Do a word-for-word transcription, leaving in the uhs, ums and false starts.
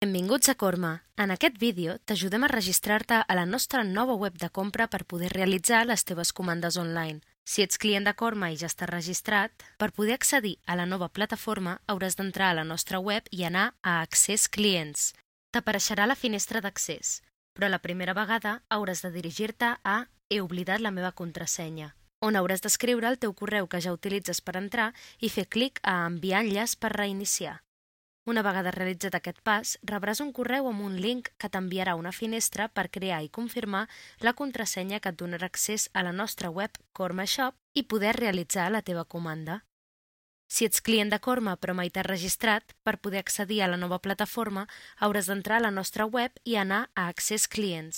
Benvinguts a Corma. En aquest vídeo t'ajudem a registrar-te a la nostra nova web de compra per poder realitzar les teves comandes online. Si ets client de Corma i ja estàs registrat, per poder accedir a la nova plataforma hauràs d'entrar a la nostra web i anar a Accés Clients. T'apareixerà la finestra d'accés, però la primera vegada hauràs de dirigir-te a He oblidat la meva contrasenya, on hauràs d'escriure el teu correu que ja utilitzes per entrar i fer clic a Enviar enllaç per reiniciar. Una vegada realitzat aquest pas, rebràs un correu amb un link que t'enviarà una finestra per crear i confirmar la contrasenya que et donarà accés a la nostra web Corma Shop i poder realitzar la teva comanda. Si ets client de Corma però mai t'has registrat, per poder accedir a la nova plataforma hauràs d'entrar a la nostra web i anar a Accés Clients.